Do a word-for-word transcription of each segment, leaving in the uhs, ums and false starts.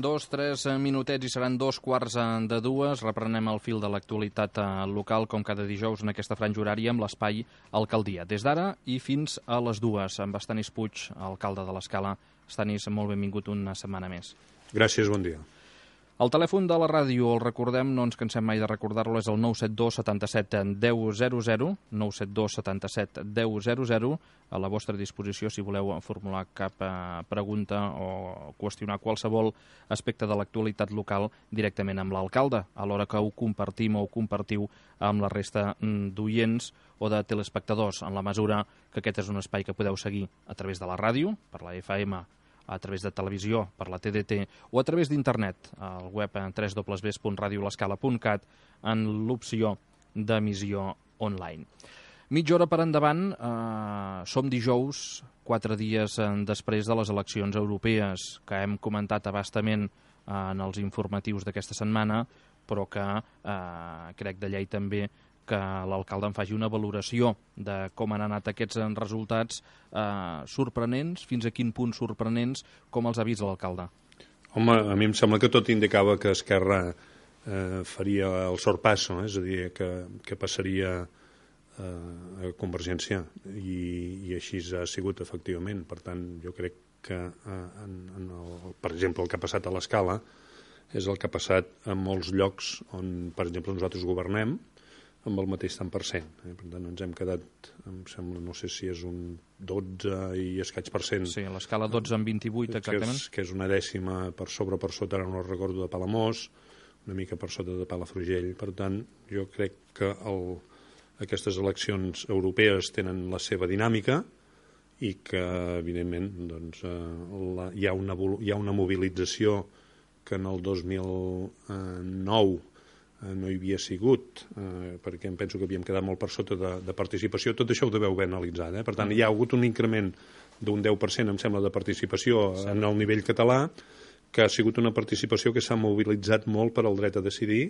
Dos, tres minutets i seran dos quarts de dues. Reprenem el fil de l'actualitat local, com cada dijous en aquesta franja horària, amb l'espai Alcaldia. Des d'ara i fins a les dues, amb Estanis Puig, alcalde de l'Escala. Estanis, molt benvingut una setmana més. Gràcies, bon dia. El telèfon de la ràdio, el recordem, no ens cansem mai de recordar-lo, és el nou set dos setanta-set deu zero zero, nou set dos setanta-set deu zero zero, a la vostra disposició si voleu formular cap eh, pregunta o qüestionar qualsevol aspecte de l'actualitat local directament amb l'alcalde, alhora que ho compartim o ho compartiu amb la resta d'oients o de telespectadors, en la mesura que aquest és un espai que podeu seguir a través de la ràdio, per la F M, a través de televisió, per la T D T, o a través d'internet, al web w w w punt radio l'escala punt cat, en l'opció d'emissió online. Mitja hora per endavant, eh, som dijous, quatre dies després de les eleccions europees, que hem comentat abastament en els informatius d'aquesta setmana, però que eh, crec de llei també que l'alcalde en faci una valoració de com han anat aquests resultats eh, sorprenents, fins a quin punt sorprenents, com els ha vist l'alcalde. Home, a mi em sembla que tot indicava que Esquerra eh, faria el sorpasso, eh? És a dir, que, que passaria eh, a Convergència, i, i així ha sigut efectivament. Per tant, jo crec que, eh, en, en el, per exemple, el que ha passat a l'Escala és el que ha passat en molts llocs on, per exemple, nosaltres governem, amb el mateix tant per cent. Eh? Per tant, ens hem quedat, em sembla, no sé si és un dotze i escaig per cent. Sí, a l'escala dotze en vint-i-vuit, exactament. Que és, que és una dècima per sobre o per sota, ara no recordo, de Palamós, una mica per sota de Palafrugell. Per tant, jo crec que el, aquestes eleccions europees tenen la seva dinàmica i que, evidentment, doncs, eh, la, hi, ha una, hi ha una mobilització que en el dos mil nou no hi havia sigut, eh, perquè em penso que havíem quedat molt per sota de, de participació. Tot això ho deveu haver analitzat. Eh? Per tant, hi ha hagut un increment d'un deu per cent, em sembla, de participació sí. en el nivell català, que ha sigut una participació que s'ha mobilitzat molt per al dret a decidir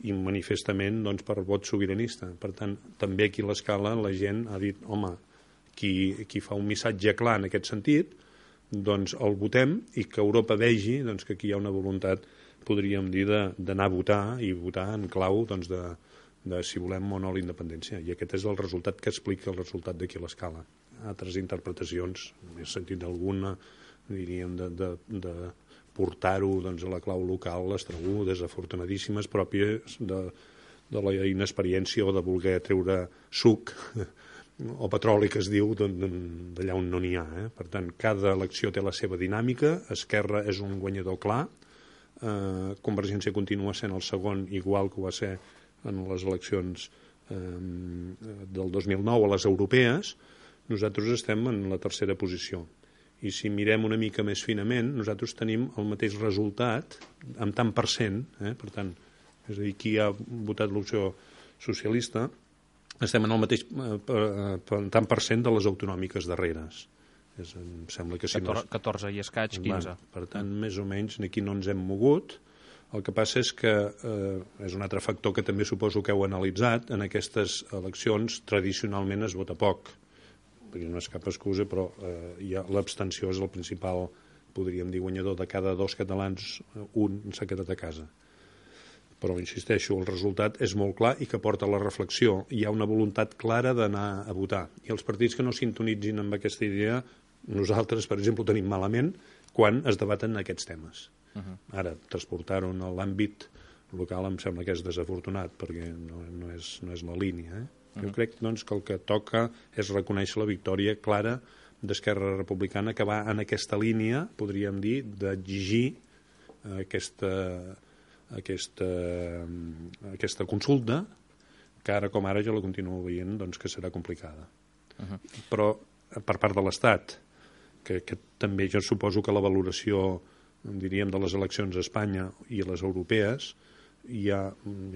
i manifestament doncs, per vot sobiranista. Per tant, també aquí a l'Escala la gent ha dit, home, qui, qui fa un missatge clar en aquest sentit, doncs el votem i que Europa vegi doncs, que aquí hi ha una voluntat, podríem dir, d'anar a votar i votar en clau doncs, de, de si volem o no la independència. I aquest és el resultat que explica el resultat d'aquí a l'Escala. Altres interpretacions, he sentit alguna, diríem, de, de, de portar-ho doncs, a la clau local, les trobo desafortunadíssimes, pròpies de, de la inexperiència o de voler treure suc o petroli, que es diu, d'allà on no n'hi ha. Eh? Per tant, cada elecció té la seva dinàmica, Esquerra és un guanyador clar, Uh, Convergència continua sent el segon, igual que ho va ser en les eleccions um, del dos mil nou a les europees. Nosaltres estem en la tercera posició i si mirem una mica més finament nosaltres tenim el mateix resultat amb tant per cent, eh? Per tant, és a dir, qui ha votat l'opció socialista, estem en el mateix uh, tant per cent de les autonòmiques darreres. És, em sembla que si catorze, no... catorze i escaig, quinze. Va, per tant, més o menys, aquí no ens hem mogut. El que passa és que eh, és un altre factor que també suposo que heu analitzat. En aquestes eleccions tradicionalment es vota poc, perquè no és cap excusa, però eh, ja l'abstenció és el principal, podríem dir, guanyador. De cada dos catalans, un s'ha quedat a casa. Però, insisteixo, el resultat és molt clar i que porta a la reflexió. Hi ha una voluntat clara d'anar a votar. I els partits que no sintonitzin amb aquesta idea, nosaltres, per exemple, ho tenim malament quan es debaten aquests temes. Uh-huh. Ara, transportar-ho a l'àmbit local em sembla que és desafortunat, perquè no, no, és, no és la línia. Eh? Uh-huh. Jo crec doncs, que el que toca és reconèixer la victòria clara d'Esquerra Republicana, que va en aquesta línia, podríem dir, d'exigir aquesta... Aquesta, aquesta consulta, que ara com ara jo la continuo veient doncs, que serà complicada. Uh-huh. Però per part de l'Estat, que, que també jo suposo que la valoració, diríem, de les eleccions a Espanya i a les europees, hi ha,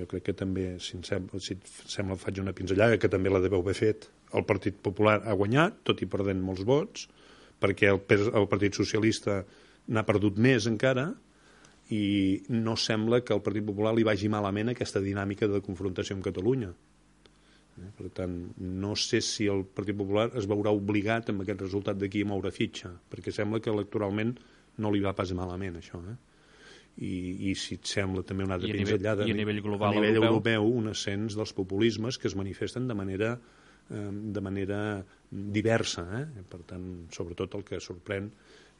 jo crec que també, si em sembla, si et sembla faig una pinzellada, que també la deveu haver fet, el Partit Popular ha guanyat, tot i perdent molts vots, perquè el, el Partit Socialista n'ha perdut més encara, i no sembla que al Partit Popular li vagi malament aquesta dinàmica de confrontació amb Catalunya. Per tant, no sé si el Partit Popular es veurà obligat amb aquest resultat d'aquí a moure fitxa, perquè sembla que electoralment no li va pas malament això. Eh? i, i si et sembla també una altra I a pinzellada, nivell, i a nivell global a nivell europeu, europeu un ascens dels populismes que es manifesten de manera, eh, de manera diversa. Eh? Per tant, sobretot el que sorprèn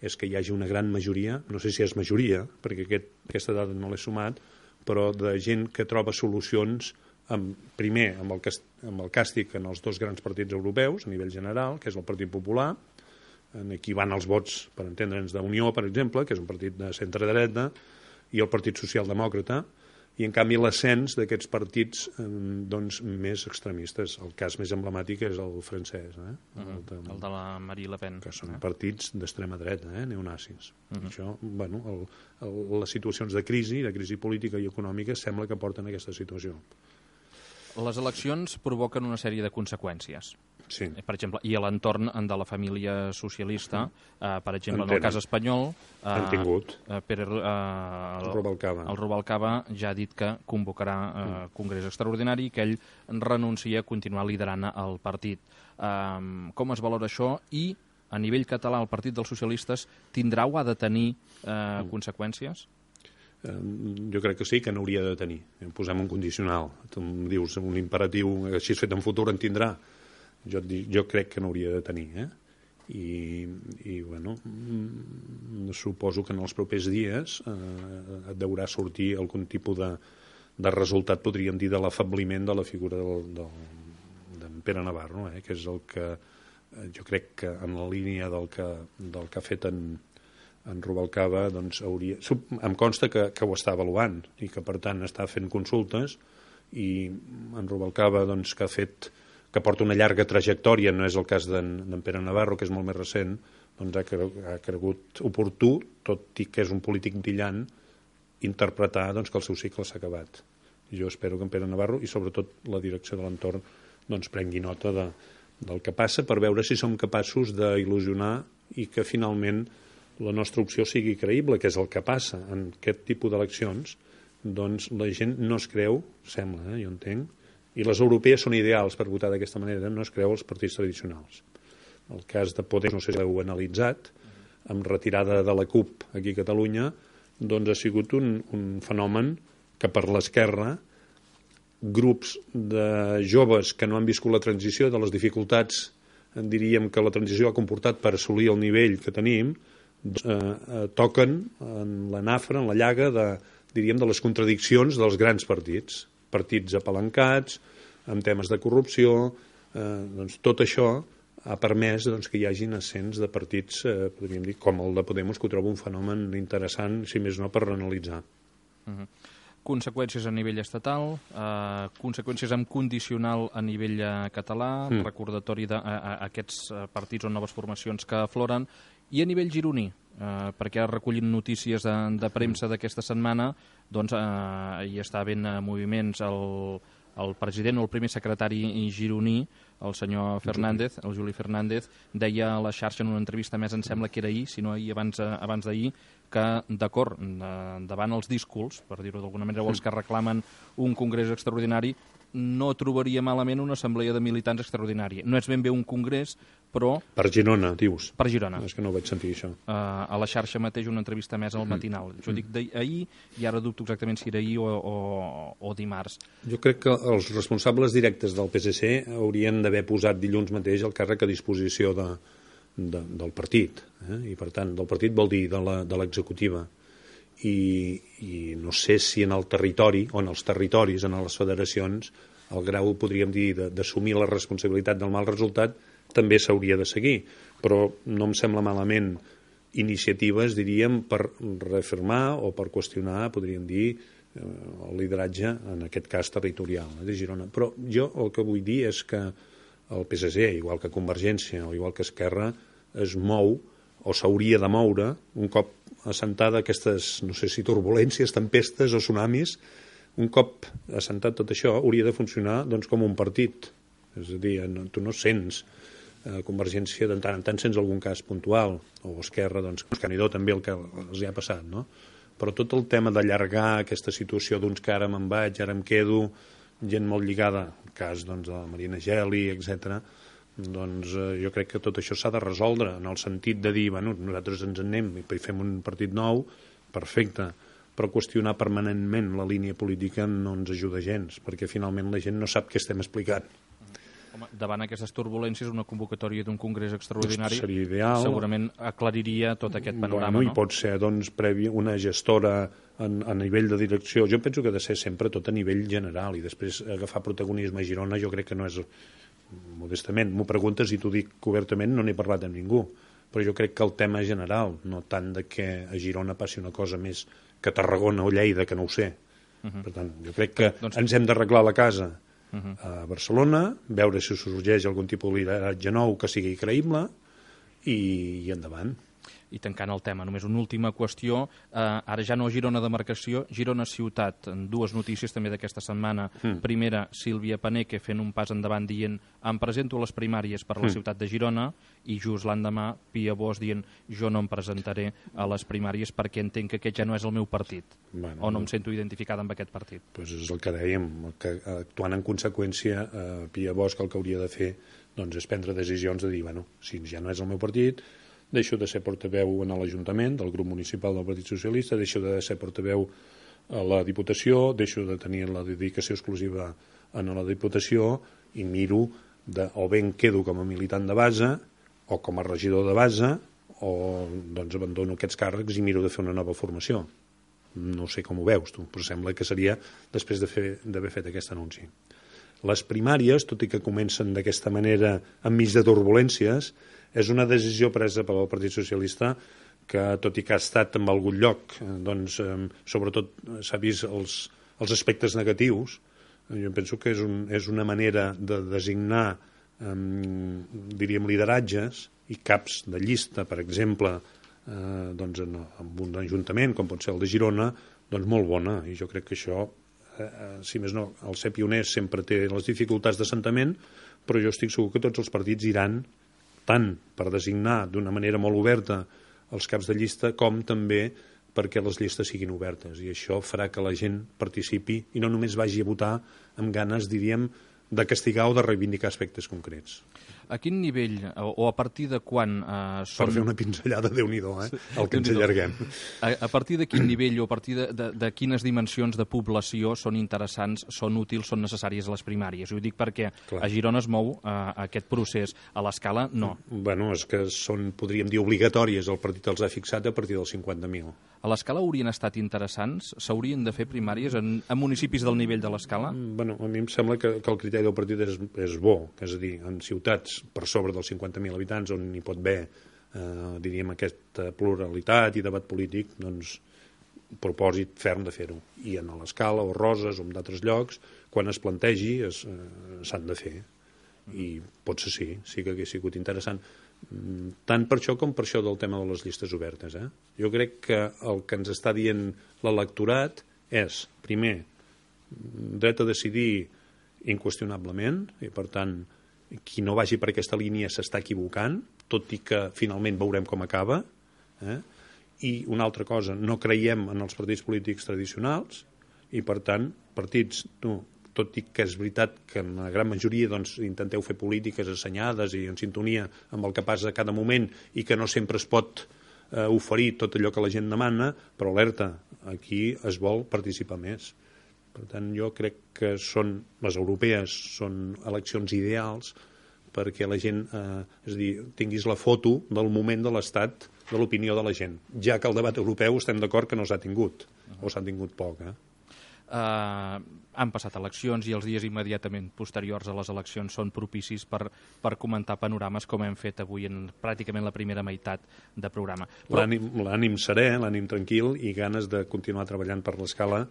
és que hi hagi una gran majoria, no sé si és majoria, perquè aquest, aquesta dada no l'he sumat, però de gent que troba solucions amb, primer amb el, amb el càstig en els dos grans partits europeus a nivell general, que és el Partit Popular. Aquí van els vots, per entendre'ns, d'Unió, per exemple, que és un partit de centre-dreta, i el Partit Socialdemòcrata, i en canvi l'ascens d'aquests partits doncs, més extremistes. El cas més emblemàtic és el francès, eh? Uh -huh. el, de, el de la Marine Le Pen. Que són eh? partits d'extrema dreta, eh? neonazis. Uh -huh. Això, bueno, el, el, les situacions de crisi, de crisi política i econòmica, sembla que porten a aquesta situació. Les eleccions provoquen una sèrie de conseqüències. Sí. Per exemple, i a l'entorn de la família socialista, eh, per exemple, en el cas espanyol, eh, han tingut eh, Pere, eh, el Rubalcaba. El Rubalcaba ja ha dit que convocarà eh, mm. congrés extraordinari i que ell renuncia a continuar liderant el partit. Eh, com es valora això? I a nivell català el Partit dels Socialistes tindrà o ha de tenir eh, mm. conseqüències? Jo crec que sí, que n'hauria de tenir. Posem un condicional. Tu em dius un imperatiu, així fet en futur en tindrà. Jo, jo crec que n'hauria de tenir, eh? I, i bueno, suposo que en els propers dies eh, deurà sortir algun tipus de, de resultat, podríem dir, de l'afabliment de la figura del, del, d'en Pere Navarro, eh? Que és el que jo crec que en la línia del que, del que ha fet en, en Rubalcaba, doncs hauria... Em consta que, que ho està avaluant i que, per tant, està fent consultes, i en Rubalcaba, doncs, que ha fet... que porta una llarga trajectòria, no és el cas d'en Pere Navarro, que és molt més recent, doncs ha, cre ha cregut oportú, tot i que és un polític brillant, interpretar doncs, que el seu cicle s'ha acabat. Jo espero que en Pere Navarro, i sobretot la direcció de l'entorn, doncs, prengui nota de, del que passa, per veure si som capaços d'il·lusionar i que finalment la nostra opció sigui creïble, que és el que passa en aquest tipus d'eleccions. Doncs la gent no es creu, sembla, eh, jo entenc, i les europees són ideals per votar d'aquesta manera, no es creu els partits tradicionals. El cas de Podem, no sé si l'heu analitzat, amb retirada de la CUP aquí a Catalunya, doncs ha sigut un, un fenomen que per l'esquerra grups de joves que no han viscut la transició, de les dificultats, diríem que la transició ha comportat per assolir el nivell que tenim, doncs, eh, eh, toquen en la nafra, en la llaga de, diríem, de les contradiccions dels grans partits. Partits apalancats, amb temes de corrupció, eh, doncs tot això ha permès doncs, que hi hagin ascens de partits, eh, podríem dir, com el de Podemos, que ho trobo un fenomen interessant, si més no, per reanalitzar. Uh-huh. Conseqüències a nivell estatal, eh, conseqüències amb condicional a nivell eh, català, mm. recordatori d'aquests eh, partits o noves formacions que afloren, i a nivell gironí, eh, perquè recollint notícies de, de premsa d'aquesta setmana, doncs eh, hi està havent moviments. El, el president o el primer secretari gironí, el senyor Fernández, el Juli Fernández, deia a la xarxa en una entrevista, més em sembla que era ahir, si no ahir abans, abans d'ahir, que d'acord, davant els díscols, per dir-ho d'alguna manera, o els que reclamen un congrés extraordinari, no trobaria malament una assemblea de militants extraordinària. No és ben bé un congrés, però... Per Girona, dius? Per Girona. És que no vaig sentir això. Uh, a la xarxa mateix una entrevista més al matinal. Jo dic d'ahir i ara dubto exactament si era ahir o, o, o dimarts. Jo crec que els responsables directes del P S C haurien d'haver posat dilluns mateix el càrrec a disposició de, de, del partit. Eh? I, per tant, del partit vol dir de l'executiva. I, i no sé si en el territori o en els territoris, en les federacions, el grau, podríem dir, d'assumir la responsabilitat del mal resultat també s'hauria de seguir, però no em sembla malament iniciatives, diríem, per reafirmar o per qüestionar, podríem dir, el lideratge, en aquest cas territorial, de Girona. Però jo el que vull dir és que el P S C, igual que Convergència o igual que Esquerra, es mou o s'hauria de moure un cop assentada aquestes, no sé si turbulències, tempestes o tsunamis, un cop assentat tot això, hauria de funcionar doncs, com un partit. És a dir, no, tu no sents eh, Convergència, de tant en tant sents algun cas puntual, o Esquerra, doncs, Canidó també el que els hi ha passat, no? Però tot el tema d'allargar aquesta situació d'uns que ara me'n vaig, ara em quedo, gent molt lligada, el cas doncs, de la Marina Geli, etcètera, doncs eh, jo crec que tot això s'ha de resoldre en el sentit de dir, bueno, nosaltres ens en anem i fem un partit nou, perfecte, però qüestionar permanentment la línia política no ens ajuda gens, perquè finalment la gent no sap què estem explicant. Home, davant aquestes turbulències, una convocatòria d'un congrés extraordinari seria ideal. Segurament aclariria tot aquest panorama. Bueno, no? I pot ser doncs, previ una gestora en, a nivell de direcció. Jo penso que ha de ser sempre tot a nivell general i després agafar protagonisme a Girona jo crec que no és, modestament, m'ho preguntes i t'ho dic obertament, no n'he parlat amb ningú, però jo crec que el tema general, no tant de que a Girona passi una cosa més que a Tarragona o Lleida, que no ho sé. Uh-huh. Per tant, jo crec que doncs... ens hem d'arreglar la casa Uh-huh. a Barcelona, veure si sorgeix algun tipus de lideratge nou que sigui creïble i, i endavant. I tancant el tema, només una última qüestió, eh, ara ja no Girona demarcació, Girona ciutat, dues notícies també d'aquesta setmana. Mm. Primera, Sílvia Paneque fent un pas endavant dient em presento a les primàries per a la mm. ciutat de Girona, i just l'endemà Pia Bosch dient jo no em presentaré a les primàries perquè entenc que aquest ja no és el meu partit, bueno, o no em sento identificada amb aquest partit. Doncs és el que dèiem, que actuant en conseqüència eh, Pia Bosch el que hauria de fer doncs, és prendre decisions de dir, bueno, si ja no és el meu partit, deixo de ser portaveu en l'Ajuntament del grup municipal del Partit Socialista, deixo de ser portaveu a la Diputació, deixo de tenir la dedicació exclusiva en la Diputació i miro de, o bé em quedo com a militant de base o com a regidor de base o doncs abandono aquests càrrecs i miro de fer una nova formació. No sé com ho veus tu, però sembla que seria després d'haver fet aquest anunci. Les primàries, tot i que comencen d'aquesta manera enmig de turbulències, és una decisió presa pel Partit Socialista que, tot i que ha estat en algun lloc, doncs, eh, sobretot s'ha vist els, els aspectes negatius, jo penso que és, un, és una manera de designar, eh, diríem, lideratges i caps de llista, per exemple, eh, doncs en, en un ajuntament, com pot ser el de Girona, doncs molt bona, i jo crec que això, eh, si més no, el ser pioner sempre té les dificultats d'assentament, però jo estic segur que tots els partits iran tant per designar d'una manera molt oberta els caps de llista com també perquè les llistes siguin obertes i això farà que la gent participi i no només vagi a votar amb ganes, diríem, de castigar o de reivindicar aspectes concrets. A quin nivell o a partir de quan eh, són... Per fer una pinzellada, Déu-n'hi-do, eh? El que ens allarguem. A, a partir de quin nivell o a partir de, de, de quines dimensions de població són interessants, són útils, són necessàries a les primàries? Ho dic perquè Clar. A Girona es mou eh, aquest procés. A l'escala, no. Bueno, és que són, podríem dir, obligatòries. El partit els ha fixat a partir dels cinquanta mil. A l'escala haurien estat interessants? S'haurien de fer primàries en, en municipis del nivell de l'escala? Bueno, a mi em sembla que, que el criteri del partit és, és bo, és a dir, en ciutats per sobre dels cinquanta mil habitants on hi pot haver, eh, diríem, aquesta pluralitat i debat polític, doncs propòsit ferm de fer-ho. I en l'Escala o Roses o en d'altres llocs, quan es plantegi, es, eh, s'han de fer. I potser sí, sí que hagués sigut interessant. Tant per això com per això del tema de les llistes obertes. Eh? Jo crec que el que ens està dient l'electorat és, primer, dret a decidir inqüestionablement, i per tant, qui no vagi per aquesta línia s'està equivocant, tot i que finalment veurem com acaba. Eh? I una altra cosa, no creiem en els partits polítics tradicionals, i per tant, partits, no, tot i que és veritat que en la gran majoria doncs, intenteu fer polítiques assenyades i en sintonia amb el que passa a cada moment i que no sempre es pot eh, oferir tot allò que la gent demana, però alerta, aquí es vol participar més. Per tant, jo crec que són, les europees són eleccions ideals perquè la gent, eh, és a dir, tinguis la foto del moment de l'estat de l'opinió de la gent, ja que el debat europeu estem d'acord que no s'ha tingut, o s'ha tingut poc, eh? Uh, han passat eleccions i els dies immediatament posteriors a les eleccions són propicis per, per comentar panorames com hem fet avui en pràcticament la primera meitat de programa. Però... L'ànim serè, l'ànim tranquil i ganes de continuar treballant per l'escala,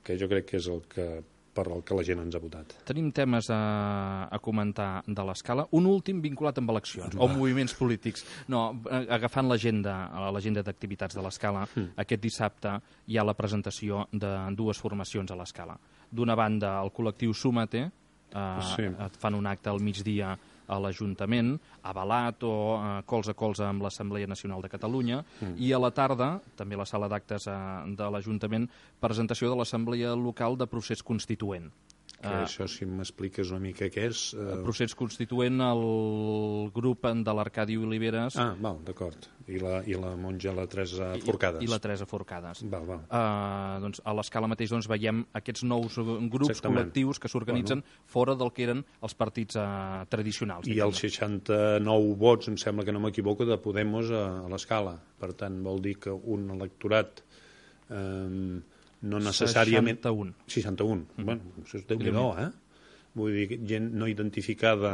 que jo crec que és el que, per el que la gent ens ha votat. Tenim temes a, a comentar de l'escala. Un últim vinculat amb eleccions o moviments polítics. No, agafant l'agenda l'agenda d'activitats de l'escala, mm. aquest dissabte hi ha la presentació de dues formacions a l'escala. D'una banda, el col·lectiu Súmate, eh, sí. fan un acte al migdia a l'Ajuntament, avalat o eh, colze a colze amb l'Assemblea Nacional de Catalunya, mm. i a la tarda, també a la sala d'actes eh, de l'Ajuntament, presentació de l'Assemblea Local de Procés Constituent. Que uh, això, si m'expliques una mica què és... Uh... Procés constituent, el grup de l'Arcadi Oliveres... Ah, val, d'acord. I la, I la monja, la Teresa Forcades. I, i la Teresa Forcades. Val, val. Uh, doncs, a l'escala mateix doncs, veiem aquests nous grups Exactament. Col·lectius que s'organitzen bueno. Fora del que eren els partits uh, tradicionals. I els seixanta-nou vots, em sembla que no m'equivoco, de Podemos a, a l'escala. Per tant, vol dir que un electorat... Eh, no necessàriament... seixanta-un. seixanta-un. Mm. Bueno, això és Déu-n'hi-do, eh? Vull dir, gent no identificada,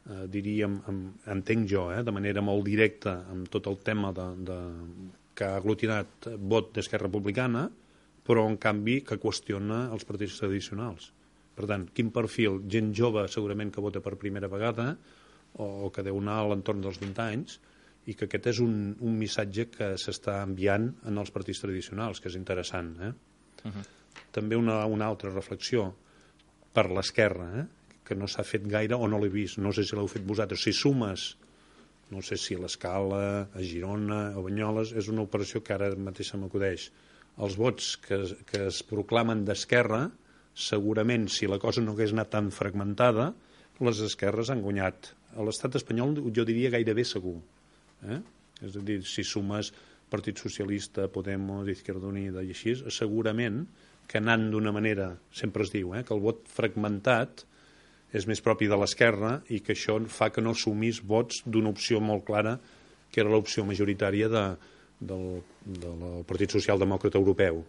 eh, diríem, amb, entenc jo, eh, de manera molt directa, amb tot el tema de, de, que ha aglutinat vot d'Esquerra Republicana, però, en canvi, que qüestiona els partits tradicionals. Per tant, quin perfil? Gent jove, segurament, que vota per primera vegada, o que deu anar a l'entorn dels vint anys, i que aquest és un, un missatge que s'està enviant en els partits tradicionals, que és interessant, eh? Uh-huh. També una, una altra reflexió per l'esquerra, eh? Que no s'ha fet gaire o no l'he vist, no sé si l'heu fet vosaltres. Si sumes, no sé si a l'Escala, a Girona, a Banyoles, és una operació que ara mateix se m'acudeix. Els vots que, que es proclamen d'esquerra, segurament, si la cosa no hagués anat tan fragmentada, les esquerres han guanyat. A l'estat espanyol jo diria gairebé segur. Eh? És a dir, si sumes Partit Socialista, Podemos, Izquierda Unida i així, segurament que anant d'una manera, sempre es diu, eh, que el vot fragmentat és més propi de l'esquerra i que això fa que no assumís vots d'una opció molt clara, que era l'opció majoritària de, del, del Partit Socialdemòcrata Europeu.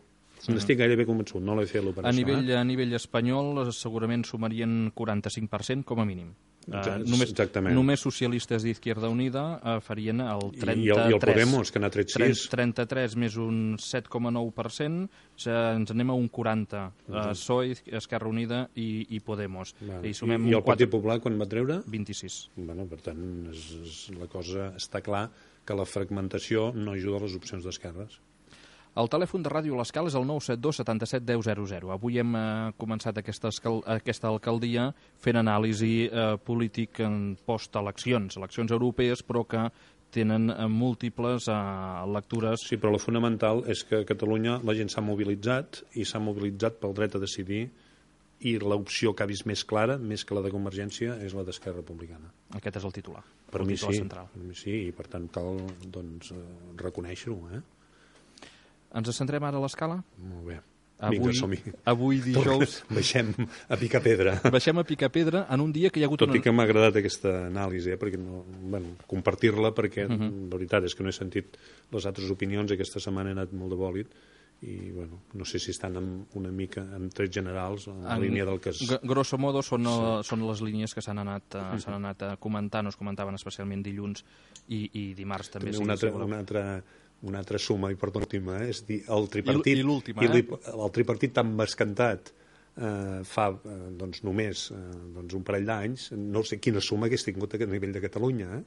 Mm. N'estic gairebé convençut, no l'he fet l'operació. A nivell, eh? a nivell espanyol segurament sumarien quaranta-cinc per cent com a mínim. Uh, només, només socialistes d'Izquierda Unida uh, farien el trenta-tres. I el, i el Podemos, que n'ha tret sis. trenta-tres més un set coma nou per cent, ens anem a un quaranta. Uh, P S O E, Esquerra Unida i, i Podemos. Vale. I, sumem I, i el Partit quatre... Popular quan va treure? vint-i-sis. Bueno, per tant, és, és, la cosa està clar que la fragmentació no ajuda a les opcions d'esquerres. El telèfon de Ràdio L'Escala és el nou set dos setanta-set deu zero zero. Avui hem eh, començat aquesta, aquesta alcaldia fent anàlisi eh, polític en post-eleccions, eleccions europees, però que tenen eh, múltiples eh, lectures. Sí, però la fonamental és que a Catalunya la gent s'ha mobilitzat i s'ha mobilitzat pel dret a decidir i l'opció que ha vist més clara, més que la de Convergència, és la d'Esquerra Republicana. Aquest és el titular. Per el mi titular sí, central. per mi sí, i per tant cal doncs, eh, reconèixer-ho, eh? Ens centrem ara a l'escala? Molt bé. Avui, Vinga, som-hi. Avui dijous... Baixem a picar pedra. Baixem a picar pedra en un dia que hi ha hagut... Tot una... i que m'ha agradat aquesta anàlisi, eh? Perquè no, bueno, compartir-la, perquè uh -huh. la veritat és que no he sentit les altres opinions, aquesta setmana he anat molt de bòlit, i bueno, no sé si estan en una mica en trets generals, en la en, línia del que és... Grosso modo són, sí. són les línies que s'han anat, uh, s'han anat a comentar, no es comentaven especialment dilluns i, i dimarts també. També sí, una, altra, si una altra... una altra suma, i perdó, última, eh? És dir, el tripartit, I, i l'última, eh? el tripartit tan bescantat eh, fa eh, doncs, només eh, doncs, un parell d'anys, no sé quina suma hagués tingut a nivell de Catalunya, eh?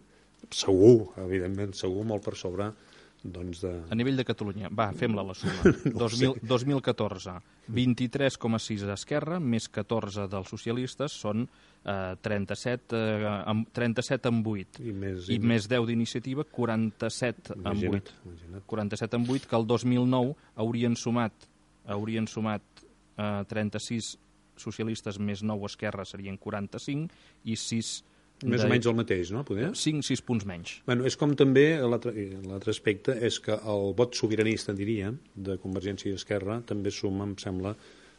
Segur, evidentment, segur, molt per sobre doncs de... A nivell de Catalunya, va, fem-la la suma. no dos mil catorze, vint-i-tres coma sis d'Esquerra, més catorze dels socialistes, són eh, trenta-set, eh, amb, trenta-set amb vuit. I més, I més deu d'Iniciativa, quaranta-set amb vuit. Imagina't. quaranta-set amb vuit, que el dos mil nou haurien sumat, haurien sumat eh, trenta-sis socialistes més nou Esquerra, serien quaranta-cinc, i sis... Més de... o menys el mateix, no? Poder? cinc sis punts menys. Bueno, és com també, l'altre aspecte, és que el vot sobiranista, diria, de Convergència i Esquerra, també suma, em sembla,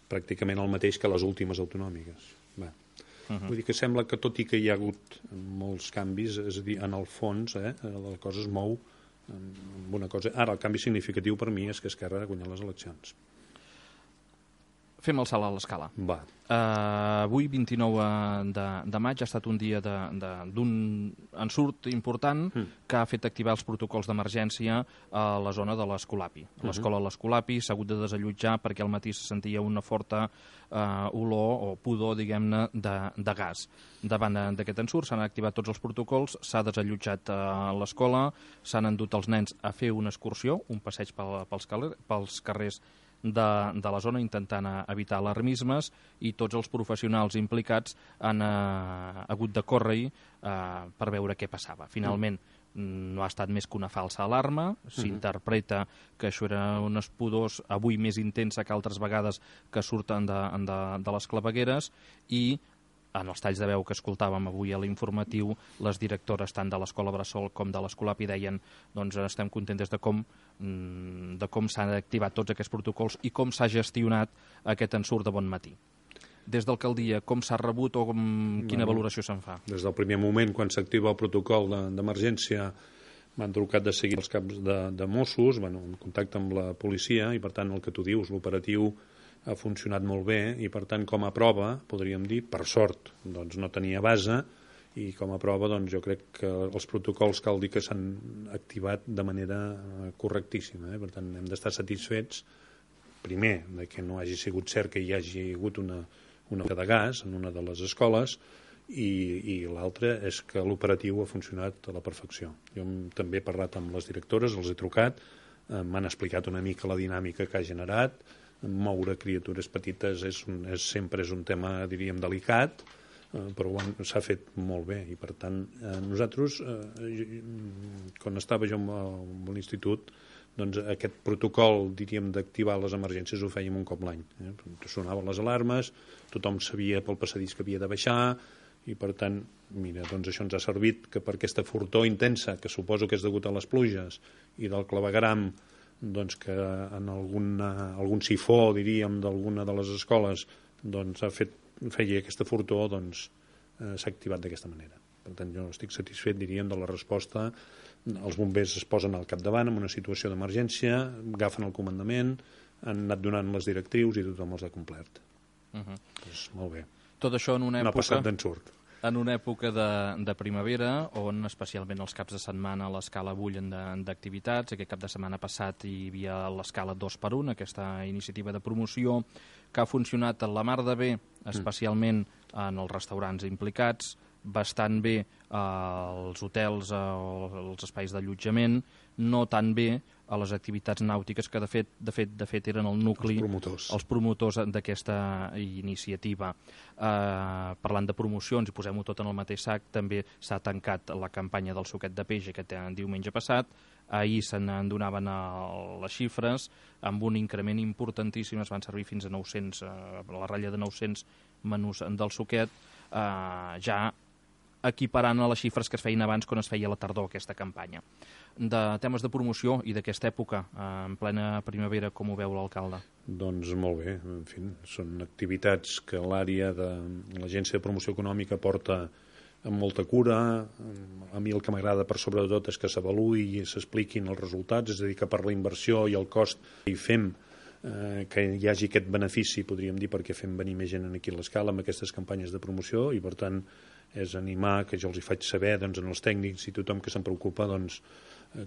pràcticament el mateix que les últimes autonòmiques. Va. Uh -huh. Vull dir que sembla que, tot i que hi ha hagut molts canvis, és a dir, en el fons, eh, la cosa es mou amb una cosa... Ara, el canvi significatiu per mi és que Esquerra ha guanyat les eleccions. Fem el salt a l'escala. Va. Uh, avui, vint-i-nou de, de maig, ha estat un dia d'un ensurt important mm. que ha fet activar els protocols d'emergència a la zona de l'Escolapi. A l'escola de l'Escolapi s'ha hagut de desallotjar perquè al matí se sentia una forta uh, olor o pudor, diguem-ne, de, de gas. Davant d'aquest ensurt s'han activat tots els protocols, s'ha desallotjat uh, l'escola, s'han endut els nens a fer una excursió, un passeig pel, pels, carrer, pels carrers de, de la zona, intentant evitar alarmismes, i tots els professionals implicats han eh, hagut de córrer eh, per veure què passava. Finalment, no ha estat més que una falsa alarma, s'interpreta que això era unes pudors avui més intensa que altres vegades que surten de, de, de les clavegueres, i en els talls de veu que escoltàvem avui a l'informatiu, les directores tant de l'Escola Bressol com de l'Escolapi deien doncs estem contentes de com, de com s'han activat tots aquests protocols i com s'ha gestionat aquest ensurt de bon matí. Des d'alcaldia, com s'ha rebut o com, quina bueno, valoració se'n fa? Des del primer moment, quan s'activa el protocol d'emergència, m'han trucat de seguir els caps de, de Mossos, bueno, en contacte amb la policia, i per tant el que tu dius, l'operatiu ha funcionat molt bé, i per tant com a prova, podríem dir, per sort, doncs no tenia base, i com a prova doncs jo crec que els protocols cal dir que s'han activat de manera correctíssima, eh? Per tant hem d'estar satisfets, primer, de que no hagi sigut cert que hi hagi hagut una una de gas en una de les escoles, i, i l'altre és que l'operatiu ha funcionat a la perfecció. Jo també he parlat amb les directores, els he trucat, eh, m'han explicat una mica la dinàmica que ha generat. Moure criatures petites és un, és, sempre és un tema, diríem, delicat, eh, però s'ha fet molt bé, i per tant eh, nosaltres, eh, quan estava jo amb l'institut, doncs aquest protocol, diríem, d'activar les emergències ho fèiem un cop l'any. Eh? Sonaven les alarmes, tothom sabia pel passadís que havia de baixar, i per tant, mira, doncs això ens ha servit que per aquesta fortor intensa, que suposo que és degut a les pluges, i del clavegueram, doncs que en alguna, algun sifó, diríem, d'alguna de les escoles, doncs ha fet, feia aquesta fortor, doncs eh, s'ha activat d'aquesta manera. Per tant, jo estic satisfet, diríem, de la resposta. Els bombers es posen al capdavant en una situació d'emergència, agafen el comandament, han anat donant les directrius i tothom els ha complert. Uh -huh. Pues, molt bé. Tot això en una època... No ha passat d'ensurt. En una època de, de primavera, on especialment els caps de setmana l'escala bullen d'activitats. Aquest cap de setmana passat hi havia l'escala dos per un, aquesta iniciativa de promoció, que ha funcionat a la mar de bé, especialment en els restaurants implicats, bastant bé als hotels o als espais d'allotjament, no tan bé a les activitats nàutiques, que de fet de fet, de fet eren el nucli, els promotors, els promotors d'aquesta iniciativa. Eh, parlant de promocions, i posem-ho tot en el mateix sac, també s'ha tancat la campanya del suquet de peix aquest diumenge passat. Ahir se n'endonaven les xifres, amb un increment importantíssim, es van servir fins a nou-cents, a la ratlla de nou-cents menús del suquet, eh, ja equiparant a les xifres que es feien abans quan es feia a la tardor aquesta campanya. De temes de promoció i d'aquesta època, en plena primavera, com ho veu l'alcalde? Doncs molt bé, en fi, són activitats que l'àrea de l'Agència de Promoció Econòmica porta amb molta cura. A mi el que m'agrada per sobre de tot és que s'avaluï i s'expliquin els resultats, és a dir, que per la inversió i el cost hi fem eh, que hi hagi aquest benefici, podríem dir, perquè fem venir més gent aquí a l'escala amb aquestes campanyes de promoció, i per tant és animar, que jo els hi faig saber doncs, en els tècnics i tothom que se'n preocupa, doncs,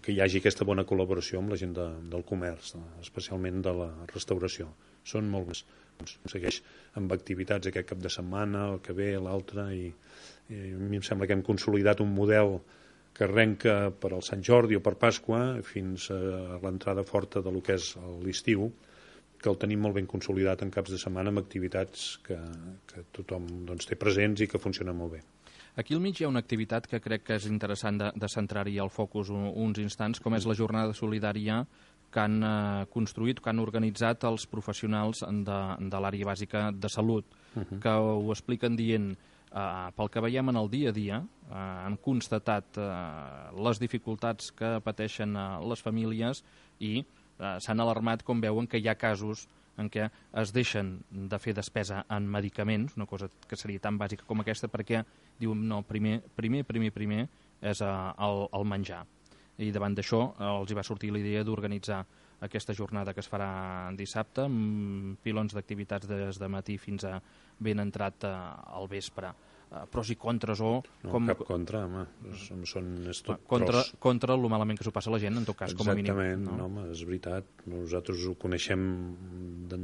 que hi hagi aquesta bona col·laboració amb la gent de, del comerç, especialment de la restauració. Són molt més. Doncs, segueix amb activitats aquest cap de setmana, el que ve, l'altre, i, i a mi em sembla que hem consolidat un model que arrenca per al Sant Jordi o per Pasqua fins a l'entrada forta de lo que és l'estiu, que el tenim molt ben consolidat en caps de setmana amb activitats que, que tothom doncs, té presents i que funcionen molt bé. Aquí al mig hi ha una activitat que crec que és interessant de, de centrar-hi el focus un, uns instants, com és la jornada solidària que han eh, construït, que han organitzat els professionals de, de l'àrea bàsica de salut, uh -huh. que ho expliquen dient, eh, pel que veiem en el dia a dia, eh, han constatat eh, les dificultats que pateixen eh, les famílies, i eh, s'han alarmat com veuen que hi ha casos en què es deixen de fer despesa en medicaments, una cosa que seria tan bàsica com aquesta, perquè diuen, no, primer, primer, primer, primer és uh, el, el menjar. I davant d'això uh, els hi va sortir la idea d'organitzar aquesta jornada que es farà dissabte, amb pilons d'activitats des de matí fins a ben entrat uh, al vespre. Uh, pros i contres o... No, com... cap contra, home. Són, és tot contra, pros. Contra el malament que s'ho passa la gent, en tot cas, com a mínim. Exactament, no? No, home, és veritat. Nosaltres ho coneixem de,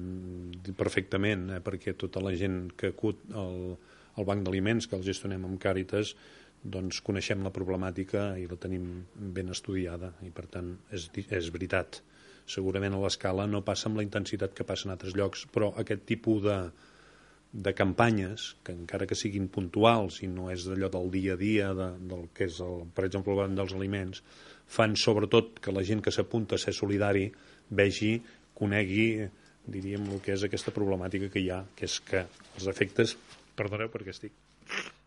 perfectament, eh, perquè tota la gent que acut al, al banc d'aliments, que el gestionem amb Càritas, doncs coneixem la problemàtica i la tenim ben estudiada, i per tant és, és veritat. Segurament a l'escala no passa amb la intensitat que passa en altres llocs, però aquest tipus de de campanyes, que encara que siguin puntuals i no és d'allò del dia a dia, de, del que és, el, per exemple, el banc dels aliments, fan sobretot que la gent que s'apunta a ser solidari vegi, conegui, diríem, el que és aquesta problemàtica que hi ha, que és que els efectes... Perdoneu perquè estic...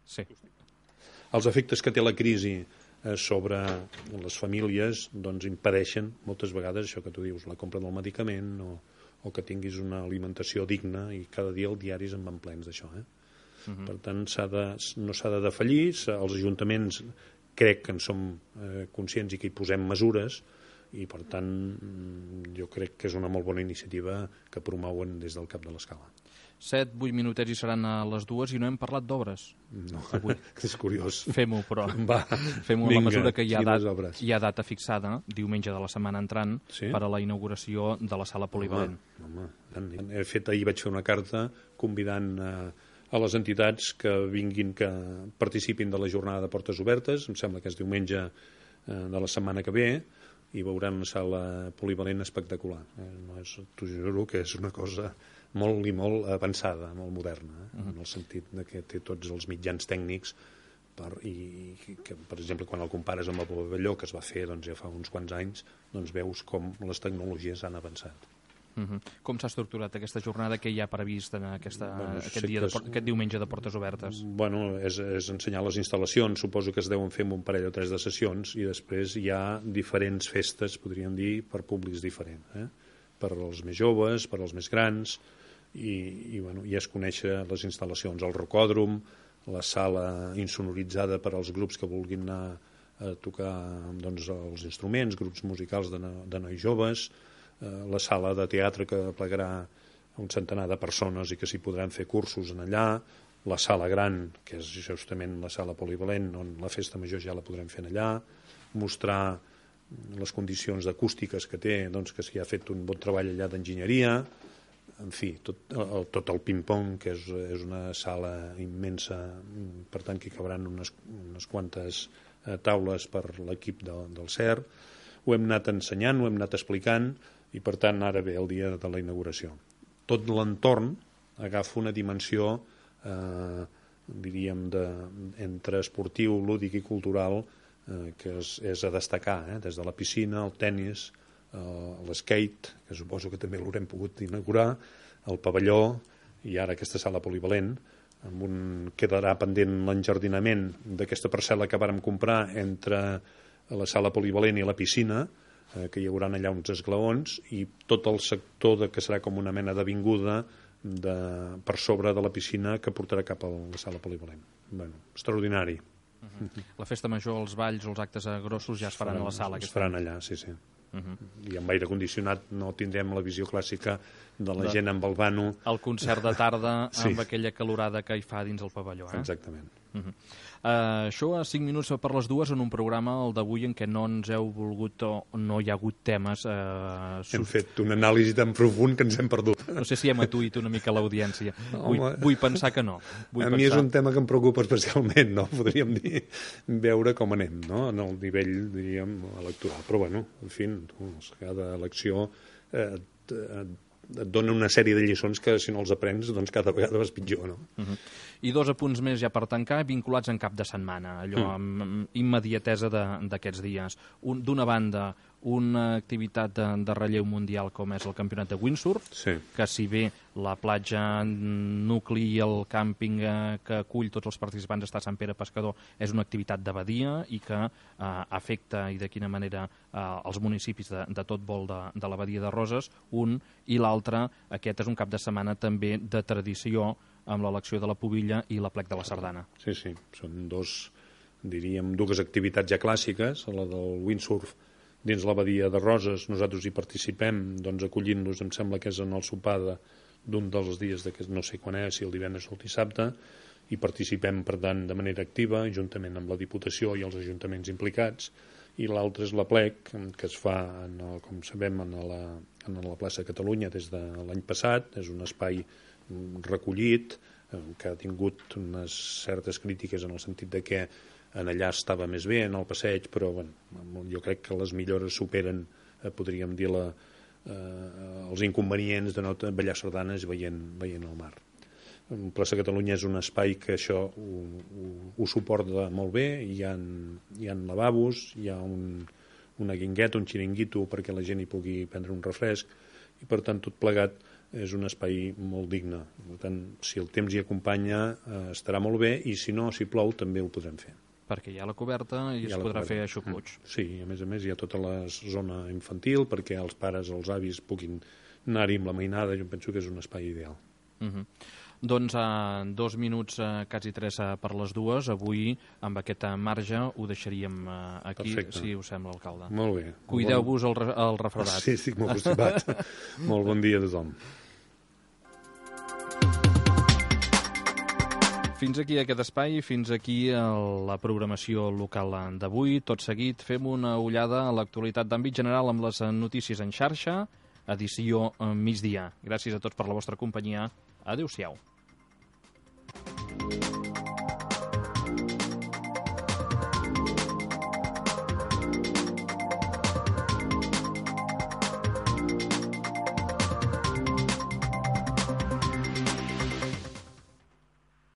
Sí. Els efectes que té la crisi eh, sobre les famílies doncs impedeixen moltes vegades això que tu dius, la compra del medicament o, o que tinguis una alimentació digna, i cada dia els diaris en van plens d'això. Eh? Uh-huh. Per tant, s'ha de, no s'ha de defallir, els ajuntaments crec que en som eh, conscients i que hi posem mesures, i per tant jo crec que és una molt bona iniciativa que promouen des del cap de l'escala. set, vuit minutets i seran a les dues i no hem parlat d'obres. No, avui. És curiós. Fem-ho, però. Va, fem-ho a la mesura que hi ha, dat, hi ha data fixada, diumenge de la setmana entrant, sí? per a la inauguració de la sala polivalent. Home, home. He fet, ahir vaig fer una carta convidant a, a les entitats que vinguin, que participin de la jornada de portes obertes, em sembla que és diumenge eh, de la setmana que ve, i veuran una sala polivalent espectacular. Eh, no és, t'ho juro que és una cosa molt i molt avançada, molt moderna, eh? Uh-huh. En el sentit de que té tots els mitjans tècnics per, i que, per exemple, quan el compares amb el pavelló que es va fer doncs, ja fa uns quants anys, doncs veus com les tecnologies han avançat. Uh-huh. Com s'ha estructurat aquesta jornada que hi ha previst en aquesta, bueno, aquest, dia de, es... aquest diumenge de portes obertes? Bueno, és, és ensenyar les instal·lacions, suposo que es deuen fer en un parell o tres de sessions, i després hi ha diferents festes, podríem dir, per públics diferents, eh? Per als més joves, per als més grans, i, i, bueno, i es conèixer les instal·lacions, el rocòdrom, la sala insonoritzada per als grups que vulguin anar a tocar doncs, els instruments, grups musicals de, de nois joves, eh, la sala de teatre que plegarà un centenar de persones i que s'hi podran fer cursos en allà, la sala gran, que és justament la sala polivalent, on la festa major ja la podrem fer allà, mostrar les condicions acústiques que té, doncs, que s'hi ha fet un bon treball allà d'enginyeria, en fi, tot el, tot el ping-pong, que és, és una sala immensa, per tant que hi cabran unes, unes quantes eh, taules per l'equip de, del C E R. Ho hem anat ensenyant, ho hem anat explicant, i per tant ara ve el dia de la inauguració. Tot l'entorn agafa una dimensió eh, diríem de, entre esportiu, lúdic i cultural eh, que és, és a destacar, eh, des de la piscina, el tennis, l'skate, que suposo que també l'haurem pogut inaugurar, el pavelló i ara aquesta sala polivalent, amb un, quedarà pendent l'enjardinament d'aquesta parcel·la que vàrem comprar entre la sala polivalent i la piscina, eh, que hi haurà allà uns esglaons, i tot el sector de, que serà com una mena d'avinguda de, per sobre de la piscina que portarà cap a la sala polivalent. Bueno, extraordinari. Uh-huh. La festa major, els balls, els actes grossos ja es faran, faran a la sala. Es faran allà, sí, sí. Uh-huh. I amb aire condicionat no tindrem la visió clàssica de la de... gent amb el vano. El concert de tarda sí. amb aquella calorada que hi fa dins el pavelló. Eh? Exactament. Uh-huh. Uh, això a cinc minuts per les dues en un programa, el d'avui, en què no ens heu volgut o no hi ha hagut temes. Uh, hem sub... fet una anàlisi tan profund que ens hem perdut. No sé si hem atuït una mica l'audiència. Vull, vull pensar que no. Vull a pensar... mi és un tema que em preocupa especialment, no? Podríem dir, veure com anem, no? En el nivell, diríem, electoral. Però, bueno, en fi, cada elecció eh, et, et dona una sèrie de lliçons que, si no els aprens, doncs cada vegada vas pitjor, no? Uh-huh. I dos apunts més ja per tancar, vinculats en cap de setmana, allò amb, amb immediatesa d'aquests dies. Un, d'una banda, una activitat de, de relleu mundial com és el campionat de windsurf, sí. que si bé la platja nucli i el càmping eh, que acull tots els participants està a Sant Pere Pescador és una activitat de badia i que eh, afecta, i de quina manera, eh, els municipis de, de tot vol de, de la badia de Roses, un, i l'altre, aquest és un cap de setmana també de tradició amb l'elecció de la pubilla i l'aplec de la sardana. Sí, sí, són dos, diríem, dues activitats ja clàssiques, la del windsurf dins la badia de Roses, nosaltres hi participem, doncs acollint-los, em sembla que és en el sopar d'un dels dies, de, no sé quan és, si el divendres o el dissabte, i participem, per tant, de manera activa, juntament amb la Diputació i els ajuntaments implicats, i l'altre és l'aplec, que es fa, en el, com sabem, en la, en la plaça de Catalunya des de l'any passat, és un espai recollit, que ha tingut unes certes crítiques en el sentit de que en allà estava més bé, en el passeig, però bueno, jo crec que les millores superen, eh, podríem dir, la, eh, els inconvenients de no ballar sardanes veient, veient el mar. Plaça Catalunya és un espai que això ho, ho, ho suporta molt bé, hi ha, hi ha lavabos, hi ha un, una guingueta, un xiringuito perquè la gent hi pugui prendre un refresc, i per tant tot plegat és un espai molt digne. Per tant, si el temps hi acompanya eh, estarà molt bé, i si no, si plou, també ho podrem fer. Perquè hi ha la coberta i es podrà fer aixopluig. Sí, a més a més hi ha tota la zona infantil perquè els pares, els avis puguin anar-hi amb la mainada. Jo penso que és un espai ideal. Uh -huh. Doncs a uh, dos minuts, uh, quasi tres uh, per les dues, avui amb aquest uh, marge ho deixaríem uh, aquí. Perfecte. Si us sembla, alcalde. Molt bé. Cuideu-vos el, re el refredat. Sí, estic molt constipat. Molt bon dia a tothom. Fins aquí aquest espai, fins aquí la programació local d'avui. Tot seguit fem una ullada a l'actualitat d'àmbit general amb les notícies en xarxa, edició migdia. Gràcies a tots per la vostra companyia. Adéu-siau.